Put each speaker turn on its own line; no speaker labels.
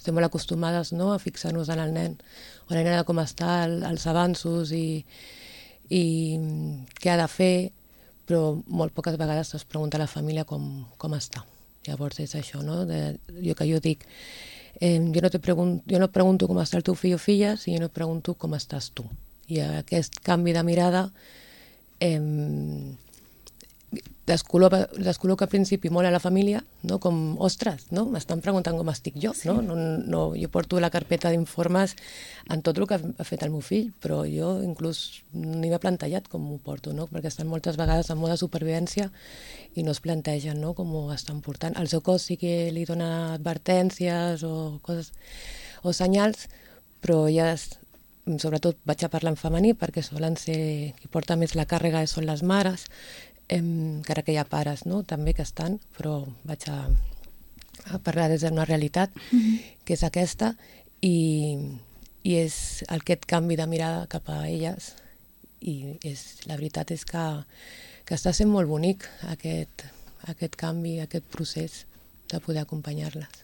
estem molt acostumades, no?, a fixar-nos en el nen o la nena com està, els avanços i què ha de fer, però molt poques vegades es pregunta a la família com està. Llavors és això, no?, jo dic, jo no pregunto com està el teu fill o filla, sinó pregunto com estàs tu. I aquest canvi de mirada descol·loca al principi molt a la família, no? Com, ostres, no? M'estan preguntant com estic jo, sí. No, jo porto la carpeta d'informes en tot el que ha fet el meu fill, però jo inclús ni m'he plantejat com m'ho porto, no? Perquè estan moltes vegades en mode de supervivència i no es plantegen, no?, com ho estan portant. El seu cos sí que li dona advertències o coses o senyals, però ja sobretot vaig a parlar en femení perquè solen ser qui porta més la càrrega són les mares, encara que hi ha pares, no?, també que estan, però vaig a parlar des d'una realitat que és aquesta i és aquest canvi de mirada cap a elles i la veritat és que està sent molt bonic aquest canvi, aquest procés de poder acompanyar-les.